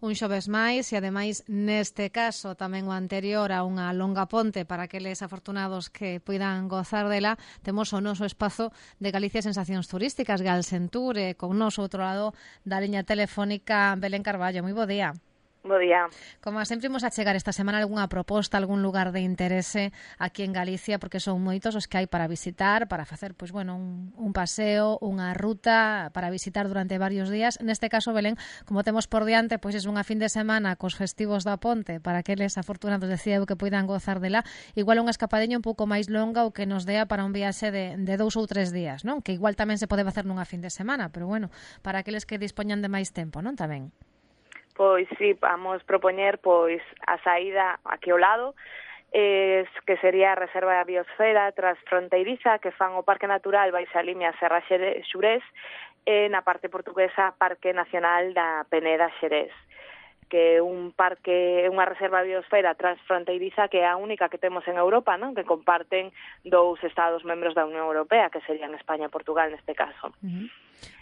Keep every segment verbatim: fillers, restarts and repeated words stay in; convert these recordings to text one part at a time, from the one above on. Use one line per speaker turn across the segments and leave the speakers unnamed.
un xoves máis e ademais neste caso tamén o anterior a unha longa ponte para aqueles afortunados que poidan gozar dela, temos o noso espazo de Galicia Sensacións Turísticas, Galsentur, e con nos outro lado da liña telefónica Belén Carballo. Moi bo día.
Bo día.
Como sempre imos a chegar esta semana algunha proposta, algún lugar de interese aquí en Galicia, porque son moitos os que hai para visitar, para facer, pois bueno, un, un paseo, unha ruta para visitar durante varios días. Neste caso, Belén, como temos por diante, pois é unha fin de semana cos festivos da Ponte, para aqueles afortunados, decía eu, que poidan gozar dela, igual unha escapadeña un pouco máis longa ou que nos dea para un viaxe de, de dous ou tres días, non? Que igual tamén se pode facer nunha fin de semana, pero bueno, para aqueles que dispoñan de máis tempo, non? Tamén.
Pois sí, vamos propoñer pois a saída aquí ao lado, eh, que sería a Reserva da Biosfera Transfronteiriza, que fan o Parque Natural Baixa Limia Serra Xurés, e na parte portuguesa Parque Nacional da Peneda Xerés, que é un parque, unha reserva de biosfera transfronteiriza que é a única que temos en Europa, non? Que comparten dous estados membros da Unión Europea, que serían España e Portugal neste caso.
Uh-huh.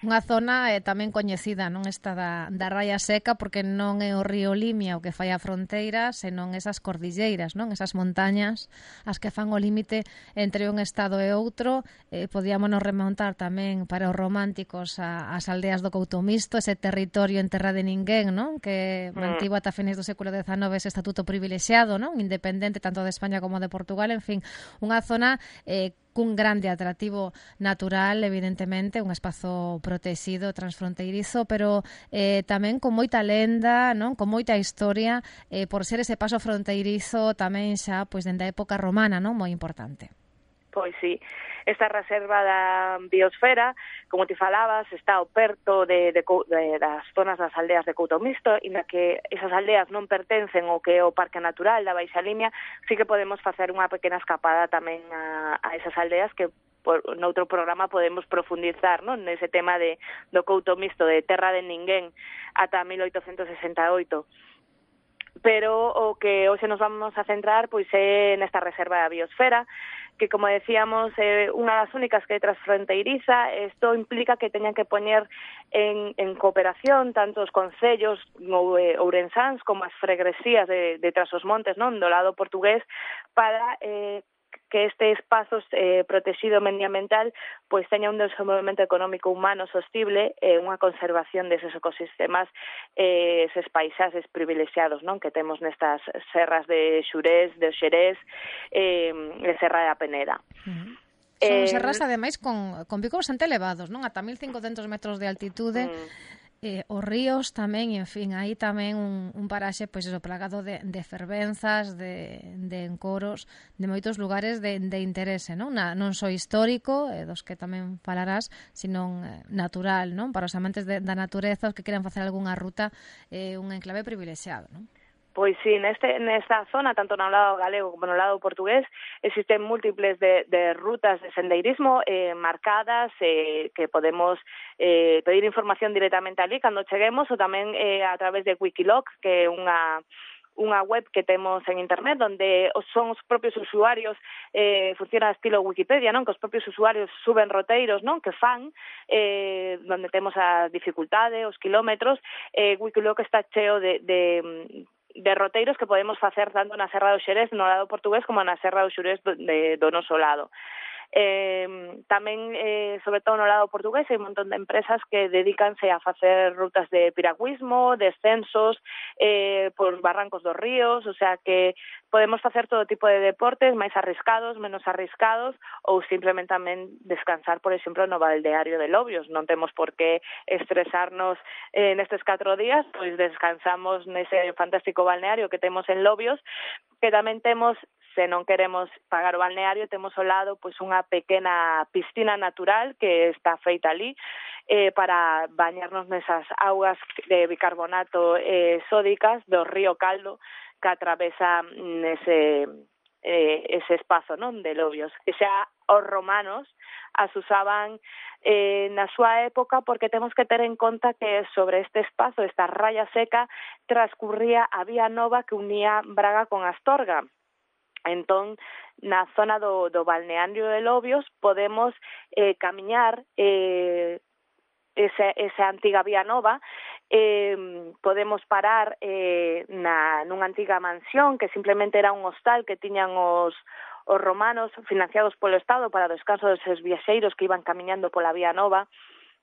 Unha zona eh, tamén coñecida, non, esta da, da Raya Seca, porque non é o río Limia o que fai a fronteira, senón esas cordilleiras, non, esas montañas as que fan o límite entre un estado e outro. Eh, podíamonos remontar tamén para os románticos a, as aldeas do Coutomisto, ese territorio en terra de ninguén, non, que mantivo ata fines do século dezenove ese estatuto privilexiado, non, independente tanto de España como de Portugal, en fin, unha zona eh, cun grande atractivo natural, evidentemente, un espazo protegido, transfronteirizo, pero eh, tamén con moita lenda, non? Con moita historia, eh, por ser ese paso fronteirizo tamén xa, pois, dende a época romana, non? Moi importante.
Pois sí, esta reserva da biosfera, como ti falabas, está ao perto de, de, de das zonas das aldeas de Coutomisto, e na que esas aldeas non pertencen ao que é o Parque Natural da Baixa Limia, sí que podemos facer unha pequena escapada tamén a, a esas aldeas que por noutro programa podemos profundizar, non, nese tema de do Coutomisto, de terra de ninguén ata mil oitocentos sesenta e oito. Pero o que hoxe nos vamos a centrar pois é nesta reserva da biosfera, que, como decíamos, é eh, unha das únicas que é transfronteiriza. Isto implica que teñan que poñer en, en cooperación tanto os concellos ou, eh, ourensáns como as fregresías de, de Trás-os-Montes, non, do lado portugués, para eh, que este espazo eh, protegido medioambiental pois teña un desenvolvemento económico humano sostible e eh, unha conservación deses ecosistemas, eh, eses paisaxes privilexiados, non, que temos nestas serras de Xurés, de Xerés, eh, de Serra da Peneda.
Uh-huh. Son eh, serras, ademais, con, con picos bastante elevados, non? Ata mil cincocentos metros de altitude. Uh-huh. Eh, os ríos tamén, e, en fin, aí tamén un, un paraxe, pois eso, plagado de, de fervenzas, de, de encoros, de moitos lugares de, de interese, non? Na, non só histórico, eh, dos que tamén falarás, sino eh, natural, non? Para os amantes de, da natureza, os que queran facer algunha ruta, eh, un enclave privilexiado, non?
Pois sí, neste, nesta zona, tanto no lado galego como no lado portugués, existen múltiples de, de rutas de sendeirismo eh, marcadas, eh, que podemos eh, pedir información directamente ali cando cheguemos, ou tamén eh, a través de Wikiloc, que é unha unha web que temos en internet onde son os propios usuarios, eh, funciona estilo Wikipedia, non? Que os propios usuarios suben roteiros, non? Que fan, eh, onde temos a dificultade, os kilómetros. eh, Wikiloc está cheo de, de de roteiros que podemos facer tanto na Serra do Xerés no lado portugués como na Serra do Xurés do, de, do noso lado. Eh, tamén, eh, sobre todo no lado portugués, hai un montón de empresas que dedícanse a facer rutas de piragüismo, descensos eh, por barrancos dos ríos, o sea que podemos facer todo tipo de deportes, máis arriscados, menos arriscados, ou simplemente tamén descansar, por exemplo, no balneario de Lobios. Non temos por que estresarnos eh, nestes catro días, pois descansamos nese fantástico balneario que temos en Lobios, que tamén temos, se non queremos pagar o balneario, temos ao lado pois unha pequena piscina natural que está feita ali eh, para bañarnos nesas augas de bicarbonato eh, sódicas do río Caldo que atravesa nese eh, ese espazo, non, de Lobios, que xa os romanos as usaban eh, na súa época, porque temos que ter en conta que sobre este espazo, esta raya seca, transcurría a vía nova que unía Braga con Astorga. Entón, na zona do, do balneario de Lobios podemos eh, camiñar eh, esa, esa antiga vía nova eh, podemos parar eh, na, nunha antiga mansión que simplemente era un hostal que tiñan os, os romanos financiados polo Estado para o descanso dos seus viaxeiros que iban camiñando pola Vía Nova,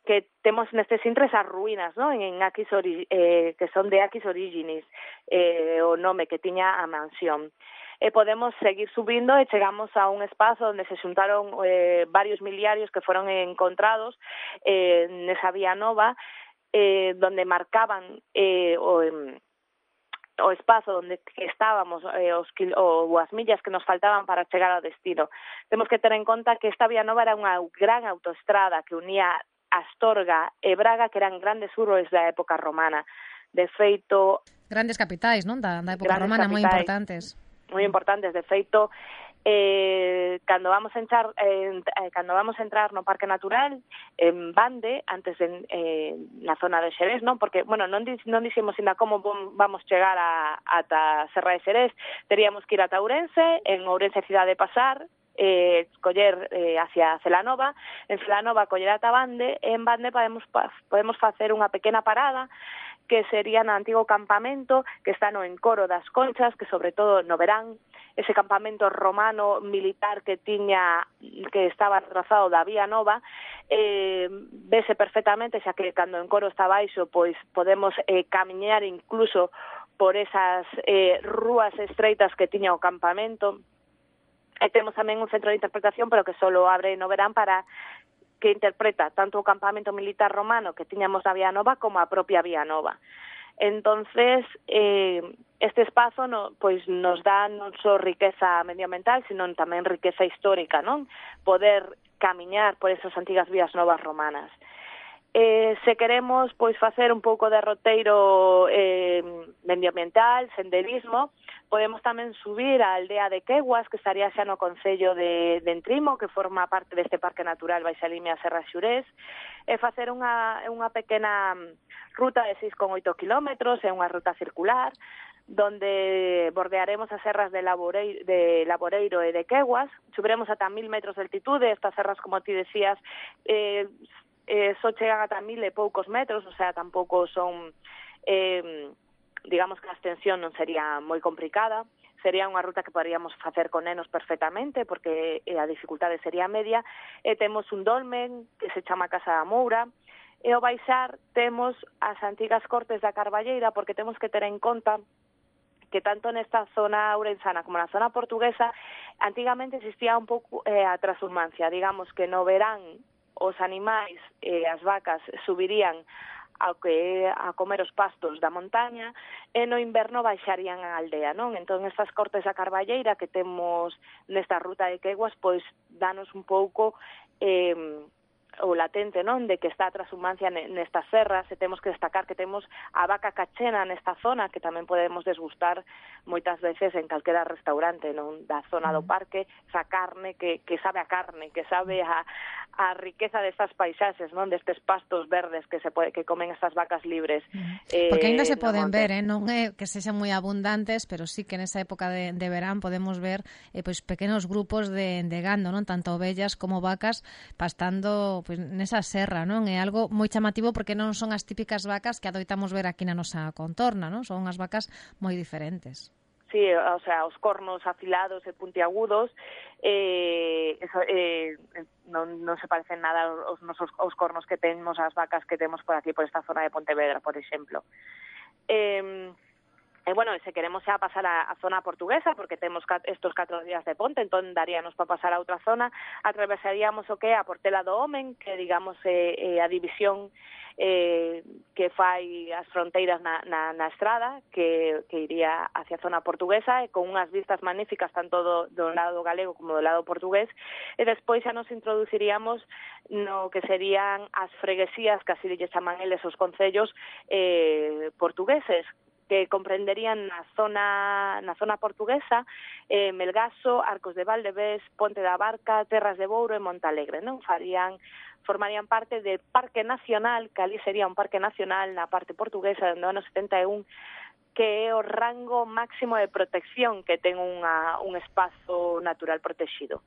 que temos nestes intres as ruínas, ¿no? en Aquis ori, eh, que son de Aquis Originis, eh, o nome que tiña a mansión. E podemos seguir subindo e chegamos a un espazo onde se xuntaron eh, varios miliarios que foron encontrados eh, nesa Vía Nova, eh, donde marcaban eh, o, eh, o espazo onde estábamos, eh, os, o as millas que nos faltaban para chegar ao destino. Temos que ter en conta que esta Vía Nova era unha gran autoestrada que unía Astorga e Braga, que eran grandes urbes da época romana. De feito...
Grandes capitais, non? Da, da época romana, moi importantes.
moi importantes, de feito, eh, cando vamos a entrar eh, cando vamos a entrar no Parque Natural en Bande, antes de, eh, na zona de Xerés, non? Porque, bueno, non, non dixemos ainda como vamos chegar a, ata Serra de Xerés, teríamos que ir ata Ourense, en Ourense cidade de pasar, eh, coller eh, hacia Celanova, en Celanova coller ata Bande, e en Bande podemos, podemos facer unha pequena parada que sería no antigo campamento que está no encoro das Conchas, que sobre todo no verán, ese campamento romano militar que tiña, que estaba trazado da Vía Nova, eh, vese perfectamente, xa que cando o encoro está baixo, pois podemos eh, camiñar incluso por esas eh, rúas estreitas que tiña o campamento. E temos tamén un centro de interpretación, pero que solo abre no verán para que interpreta tanto o campamento militar romano que tiñamos na Vía Nova como a propia Vía Nova. Entonces, eh, este espazo no, pois nos dá non só riqueza medioambiental, sino tamén riqueza histórica, non? Poder camiñar por esas antigas vías novas romanas. Eh, se queremos pois facer un pouco de roteiro eh, medioambiental, senderismo, podemos tamén subir á aldea de Queguas, que estaría xa no concello de, de Entrimo, que forma parte deste Parque Natural Baixa Limia Serra Xurés, e facer unha, unha pequena ruta de seis coma oito kilómetros, é unha ruta circular, donde bordearemos as serras de Laboreiro, de Laboreiro e de Queguas, subiremos ata mil metros de altitude, estas serras, como ti decías, eh, eh, só chegan ata mil e poucos metros, o sea, tampouco son... Eh, digamos que a extensión non sería moi complicada, sería unha ruta que poderíamos facer con nenos perfectamente, porque a dificultade sería media, e temos un dolmen que se chama Casa da Moura, e ao baixar temos as antigas cortes da Carballeira, porque temos que ter en conta que tanto nesta zona ourensana como na zona portuguesa, antigamente existía un pouco eh, a transhumancia, digamos que no verán os animais e eh, as vacas subirían ao que a comer os pastos da montaña, e no inverno baixarían a aldea, non? Entón, estas cortes da Carballeira que temos nesta ruta de Queguas, pois, danos un pouco eh, o latente, non? De que está a transhumancia nestas serras, e temos que destacar que temos a vaca cachena nesta zona, que tamén podemos desgustar moitas veces en calquera restaurante, non? Da zona do parque, esa carne que, que sabe a carne, que sabe a, a riqueza destas paisaxes, non? Destes pastos verdes que se pode, que comen estas vacas libres.
Eh, Porque ainda se poden ver, eh? Non é que sexan moi abundantes, pero sí que nesa época de, de verán podemos ver eh, pois pequenos grupos de, de gando, non? Tanto ovellas como vacas pastando pois nesa serra, non? É algo moi chamativo porque non son as típicas vacas que adoitamos ver aquí na nosa contorna, non? Son unhas vacas moi diferentes.
Sí, o sea, os cornos afilados e puntiagudos, eh, eso, eh, non, non se parecen nada aos nosos aos cornos que temos as vacas que temos por aquí, por esta zona de Pontevedra, por exemplo. Eh, E, bueno, se queremos xa pasar a, a zona portuguesa, porque temos estos catro días de ponte, entón daríanos para pasar a outra zona, atravesaríamos o que é a Portela do Homen, que, digamos, é, é a división eh, que fai as fronteiras na, na, na estrada, que, que iría hacia a zona portuguesa, e con unhas vistas magníficas tanto do, do lado galego como do lado portugués, e despois xa nos introduciríamos no que serían as freguesías, que así lle chaman eles os concellos eh, portugueses, que comprenderían na zona na zona portuguesa, eh, Melgaso, Arcos de Valdevés, Ponte da Barca, Terras de Bouro e Montalegre, non? Farían formarían parte do Parque Nacional, que ali sería un parque nacional na parte portuguesa do ano setenta e un, que é o rango máximo de protección que ten unha, un espazo natural protegido.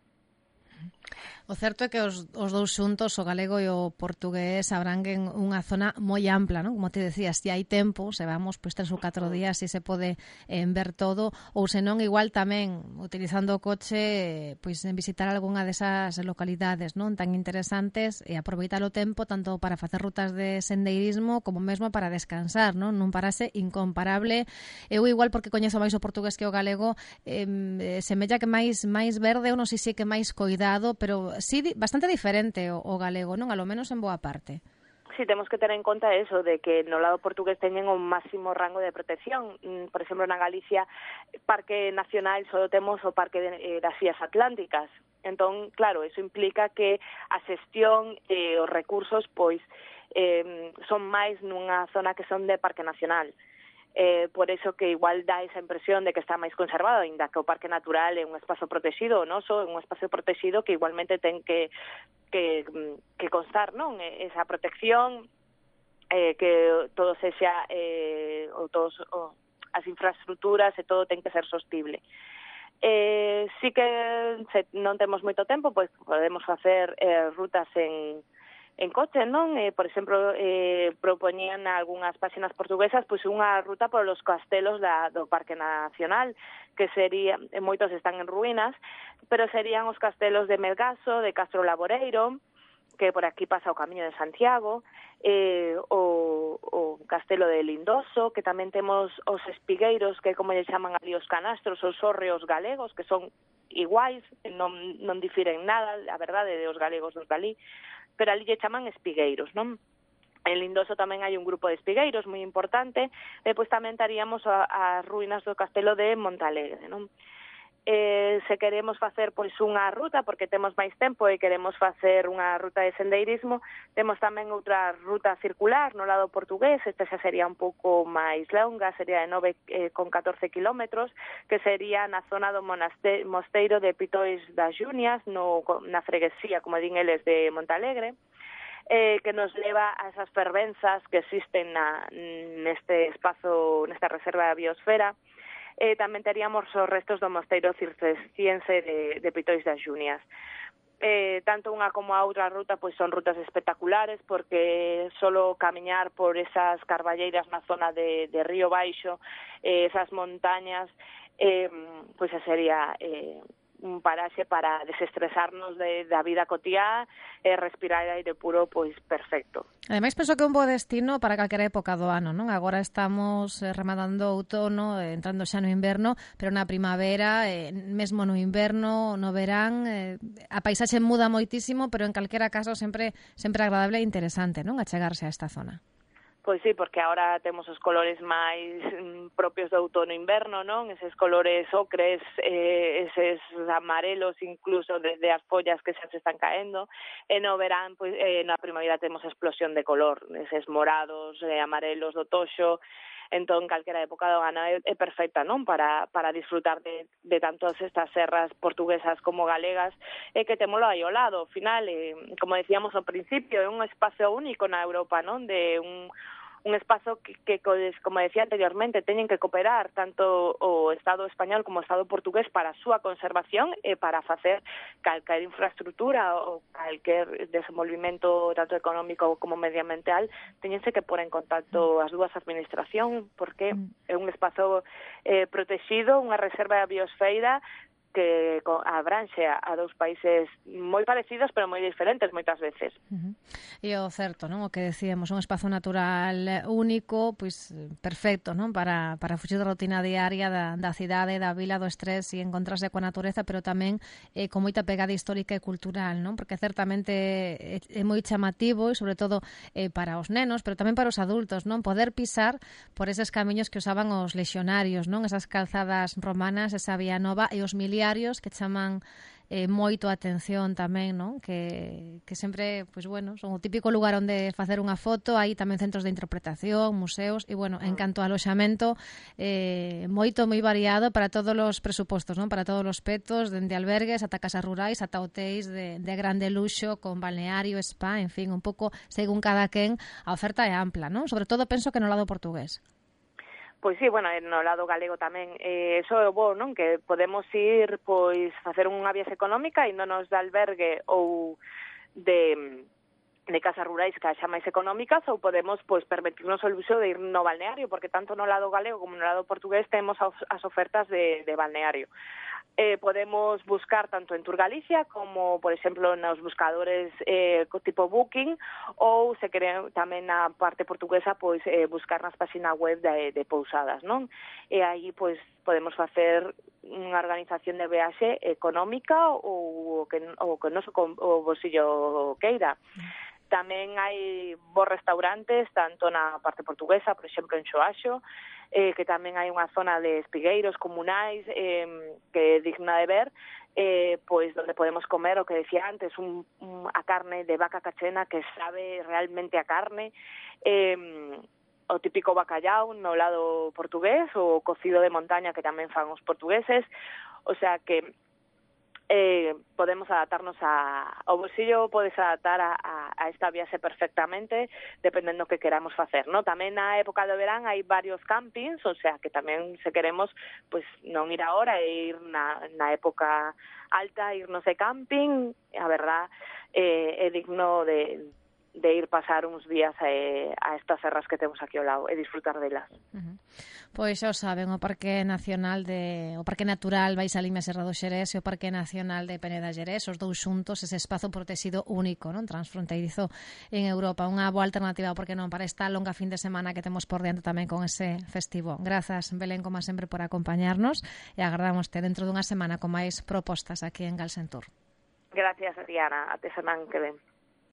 O certo é que os, os dous xuntos, o galego e o portugués, abranguen unha zona moi ampla, non? Como te decías, se hai tempo, se vamos pois tres ou catro días, se se pode eh, ver todo, ou senón igual tamén, utilizando o coche, pois en visitar algunha desas localidades, non? Tan interesantes, e aproveitar o tempo tanto para facer rutas de sendeirismo como mesmo para descansar, non? Nun parase incomparable. Eu igual porque coñezo máis o portugués que o galego, eh, semella que máis máis verde, ou non sei se que máis coidado, pero sí, bastante diferente o, o galego, non? A lo menos en boa parte.
Sí, temos que ter en conta eso, de que no lado portugués teñen un máximo rango de protección. Por exemplo, na Galicia, Parque Nacional, só temos o Parque de, eh, das Rías Atlánticas. Entón, claro, eso implica que a xestión e eh, os recursos, pois, eh, son máis nunha zona que son de Parque Nacional. Eh, por eso que igual dá esa impresión de que está máis conservado, ainda que o Parque Natural é un espazo protegido, non? So, é un espazo protegido que igualmente ten que que, que constar, non? Esa protección, eh, que todo sexa eh, ou todos o, as infraestructuras e todo ten que ser sostible. Eh, sí que se non temos moito tempo, pois podemos facer eh, rutas en en coche, non? Eh, por exemplo, eh, propoñían algunhas páxinas portuguesas pois unha ruta por los castelos da, do Parque Nacional, que sería, moitos están en ruínas, pero serían os castelos de Melgaso, de Castro Laboreiro, que por aquí pasa o Camiño de Santiago, eh, o, o Castelo de Lindoso, que tamén temos os espigueiros, que como lle chaman ali os canastros, os hórreos galegos, que son iguais, non, non difiren nada, a verdade, de os galegos dos dali, pero ali lle chaman espigueiros, non? En Lindoso tamén hai un grupo de espigueiros moi importante, e pois tamén taríamos as ruínas do castelo de Montalegre, non? Eh, se queremos facer pois unha ruta, porque temos máis tempo e queremos facer unha ruta de sendeirismo, temos tamén outra ruta circular no lado portugués, esta xa sería un pouco máis longa, sería de nove con catorce kilómetros, que sería na zona do monaste- mosteiro de Pitois das Junias, no, na freguesía, como din eles, de Montalegre, eh, que nos leva a esas fervenzas que existen na, neste espazo, nesta reserva da biosfera. Eh, tamén teríamos os restos do mosteiro cisterciense de, de Pitois das Junias. Eh, tanto unha como a outra ruta pois son rutas espectaculares, porque solo camiñar por esas carballeiras na zona de, de Río Baixo, eh, esas montañas, eh, pois sería eh, un paraxe para desestresarnos de, da vida cotiá e respirar aire puro, pois perfecto.
Ademais, penso que é un bo destino para calquera época do ano, non? Agora estamos eh, rematando o outono, eh, entrando xa no inverno, pero na primavera, eh, mesmo no inverno, no verán, eh, a paisaxe muda moitísimo, pero en calquera caso sempre sempre agradable e interesante, non? Achegarse a esta zona.
Pois sí, porque agora temos os colores máis mm, propios do outono-inverno, non? Eses colores ocres, eh, eses amarelos incluso desde as follas que xa se están caendo. E no verán, pois, eh, na primavera temos explosión de color, eses morados, eh, amarelos do toxo. Entón, calquera época do ano é, é perfecta, non? Para, para disfrutar de, de tantas estas serras portuguesas como galegas, e que temolo aí ao lado. Ao final, eh, como decíamos ao principio, é un espazo único na Europa, non? De un un espazo que, que, como decía anteriormente, teñen que cooperar tanto o Estado español como o Estado portugués para a súa conservación e para facer calquer infraestructura ou calquer desenvolvimento tanto económico como medioambiental, teñense que pôr en contacto as dúas administracións, porque é un espazo eh, protegido, unha reserva da biosfera que abranxe a dous países moi parecidos, pero moi diferentes moitas veces.
Uh-huh. E o certo, non? O que decíamos, un espazo natural único, pois perfecto, non? Para, para fuxir da rutina diaria da, da cidade, da vila, do estrés e encontrarse coa natureza, pero tamén eh, con moita pegada histórica e cultural, non? Porque certamente é, é moi chamativo e sobre todo eh, para os nenos, pero tamén para os adultos, non? Poder pisar por eses camiños que usaban os lexionarios, non? Esas calzadas romanas, esa vía nova e os miliares que chaman eh, moito a atención tamén, non? Que, que sempre, pois bueno, son o típico lugar onde facer unha foto, hai tamén centros de interpretación, museos, e bueno, en canto ao aloxamento, eh, moito, moi variado para todos os presupostos, non? Para todos os petos, dende albergues ata casas rurais, ata hotéis de, de grande luxo, con balneario, spa, en fin, un pouco, según cada quen, a oferta é ampla, non? Sobre todo penso que no lado portugués.
Pois sí, bueno, no lado galego tamén, eh, eso é bo, non? Que podemos ir, pois, facer unha viaxe económica e non nos de albergue ou de de casas rurais que xa máis económicas, ou podemos pois permitirnos o luxo de ir no balneario, porque tanto no lado galego como no lado portugués temos as ofertas de, de balneario. Eh, podemos buscar tanto en Tour Galicia como, por exemplo, nos buscadores eh, tipo Booking, ou se queren tamén na parte portuguesa, pois eh, buscar nas páxinas web de, de pousadas, non? E aí pois podemos facer unha organización de viaxe económica ou que o que noso o bolsillo queira. Tamén hai bons restaurantes, tanto na parte portuguesa, por exemplo, en Xoaxo, eh, que tamén hai unha zona de espigueiros comunais eh, que é digna de ver, eh, pois donde podemos comer o que decía antes, un, un, a carne de vaca cachena que sabe realmente a carne, eh, o típico bacallau no lado portugués, o cocido de montaña que tamén fan os portugueses, o sea que Eh, podemos adaptarnos a, o bolsillo podes adaptar a, a, a esta viaxe perfectamente dependendo que queramos facer, ¿no? Tamén na época do verán hai varios campings, o sea que tamén se queremos pues non ir agora e ir na, na época alta, irnos de camping, a verdad eh, é digno de de ir pasar uns días a, a estas serras que temos aquí ao lado e disfrutar delas.
Uh-huh. Pois xa o saben, o Parque Nacional de o Parque Natural Baixa Limia Serra do Xerés e o Parque Nacional de Peneda Xerés, os dous xuntos, ese espazo protegido único, non, transfronteirizo en Europa, unha boa alternativa, porque non, para esta longa fin de semana que temos por diante tamén con ese festivo. Grazas, Belén, como sempre, por acompañarnos e agardamos dentro dunha semana con máis propostas aquí en Galsen Tour.
Gracias, Diana, até semana que ven.